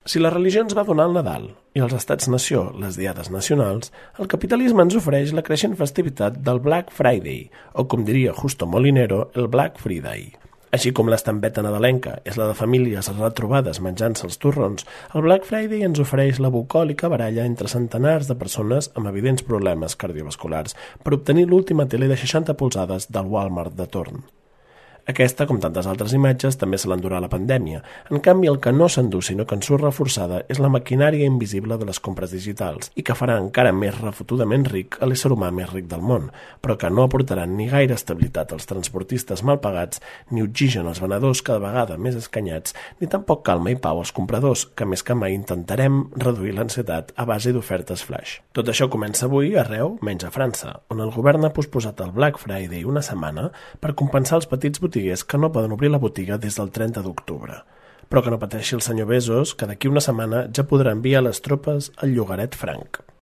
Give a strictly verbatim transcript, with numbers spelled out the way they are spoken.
Si la religió ens va donar el Nadal i els estats-nació les diades nacionals, el capitalisme ens ofereix la creixent festivitat del Black Friday, o com diria Justo Molinero, el Black Friday. Així com l'estampeta nadalenca és la de famílies retrobades menjant-se els torrons, el Black Friday ens ofereix la bucòlica baralla entre centenars de persones amb evidents problemes cardiovasculars per obtenir l'última tele de seixanta polzades del Walmart de torn. Aquesta, com tantes altres imatges, també se l'endurà la pandèmia. En canvi, el que no s'endú, sinó que en surt reforçada, és la maquinària invisible de les compres digitals i que farà encara més refotudament ric a l'ésser humà més ric del món, però que no aportaran ni gaire estabilitat als transportistes mal pagats, ni oxigen als venedors cada vegada més escanyats, ni tampoc calma i pau als compradors, que més que mai intentarem reduir l'ansietat a base d'ofertes flash. Tot això comença avui arreu, menys a França, on el govern ha posposat el Black Friday una setmana per compensar els petits botiguers que no poden obrir la botiga des del trenta d'octubre. Però que no pateixi el senyor Bezos, que d'aquí una setmana ja podrà enviar les tropes al llogaret franc.